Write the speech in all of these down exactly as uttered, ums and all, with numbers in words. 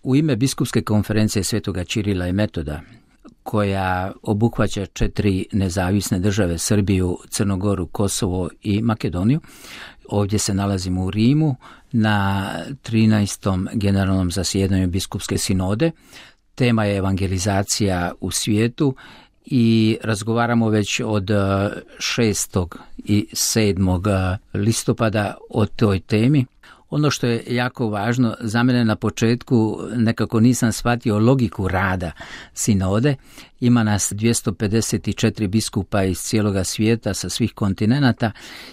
u ime Biskupske konferencije Svetoga Ćirila i Metoda, koja obuhvaća četiri nezavisne države, Srbiju, Crnogoru, Kosovo i Makedoniju. Ovdje se nalazimo u Rimu na trinaestom generalnom zasjedanju Biskupske sinode. Tema je evangelizacija u svijetu i razgovaramo već od šestog i sedmog listopada o toj temi. Ono što je jako važno, za mene na početku nekako nisam shvatio logiku rada sinode. Ima nas dvjesto pedeset četiri biskupa iz cijeloga svijeta sa svih kontinenata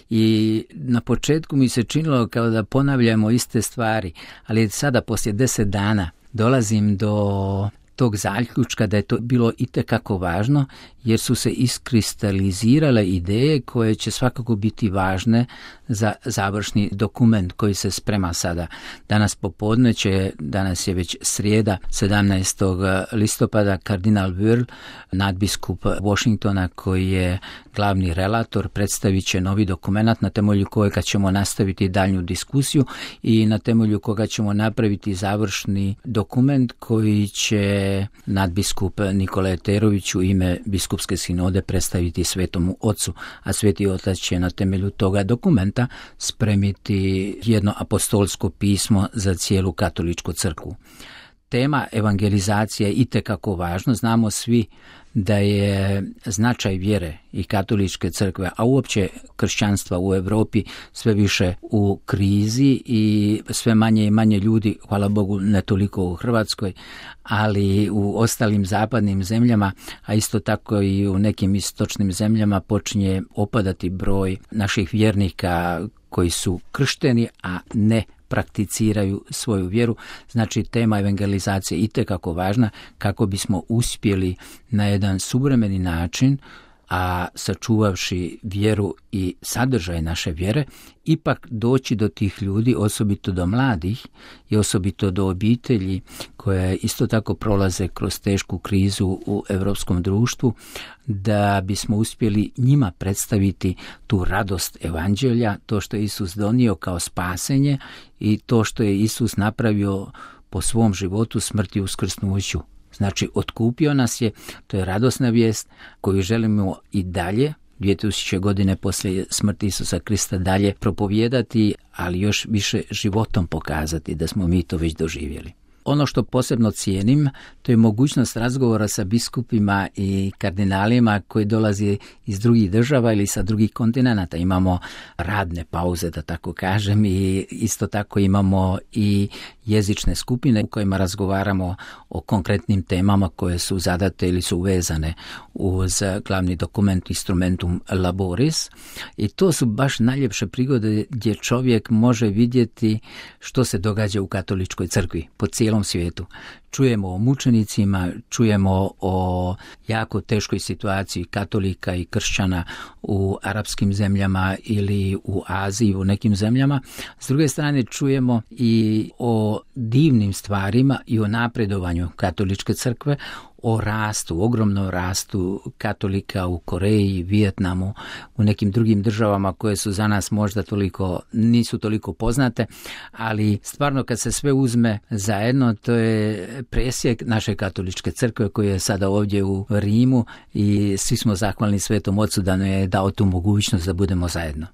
i na početku mi se činilo kao da ponavljamo iste stvari, ali sada poslije deset dana dolazim do tog zaključka da je to bilo itekako važno, jer su se iskristalizirale ideje koje će svakako biti važne za završni dokument koji se sprema sada. Danas popodne će, danas je već srijeda, sedamnaestog listopada, kardinal Wörl, nadbiskup Washingtona, koji je glavni relator, predstavit će novi dokument na temelju kojega ćemo nastaviti daljnju diskusiju i na temelju koga ćemo napraviti završni dokument koji će nadbiskup Nikola Eterović u ime Biskupske sinode predstaviti Svetomu Ocu, a Sveti Otac će na temelju toga dokumenta spremiti jedno apostolsko pismo za cijelu katoličku crkvu. Tema evangelizacije je itekako važno. Znamo svi da je značaj vjere i katoličke crkve, a uopće kršćanstva u Europi sve više u krizi i sve manje i manje ljudi, hvala Bogu ne toliko u Hrvatskoj, ali u ostalim zapadnim zemljama, a isto tako i u nekim istočnim zemljama počinje opadati broj naših vjernika koji su kršteni, a ne prakticiraju svoju vjeru. Znači, tema evangelizacije je itekako važna kako bismo uspjeli na jedan suvremeni način, a sačuvavši vjeru i sadržaj naše vjere, ipak doći do tih ljudi, osobito do mladih i osobito do obitelji koje isto tako prolaze kroz tešku krizu u europskom društvu, da bismo uspjeli njima predstaviti tu radost evanđelja, to što je Isus donio kao spasenje i to što je Isus napravio po svom životu, smrti i uskrsnuću. Znači, otkupio nas je, to je radosna vijest koju želimo i dalje, dvije tisuće godine poslije smrti Isusa Krista, dalje propovijedati, ali još više životom pokazati da smo mi to već doživjeli. Ono što posebno cijenim, to je mogućnost razgovora sa biskupima i kardinalima koji dolaze iz drugih država ili sa drugih kontinenata. Imamo radne pauze, da tako kažem, i isto tako imamo i jezične skupine u kojima razgovaramo o konkretnim temama koje su zadate ili su vezane uz glavni dokument Instrumentum Laboris. I to su baš najljepše prigode gdje čovjek može vidjeti što se događa u katoličkoj crkvi po cijelom svijetu. Čujemo o mučenicima, čujemo o jako teškoj situaciji katolika i kršćana u arapskim zemljama ili u Aziji, u nekim zemljama. S druge strane čujemo i o divnim stvarima i o napredovanju katoličke crkve, o rastu, ogromnom rastu katolika u Koreji, Vijetnamu, u nekim drugim državama koje su za nas možda toliko, nisu toliko poznate, ali stvarno kad se sve uzme zajedno, to je presjek naše katoličke crkve koja je sada ovdje u Rimu i svi smo zahvalni Svetom Ocu da nam je dao tu mogućnost da budemo zajedno.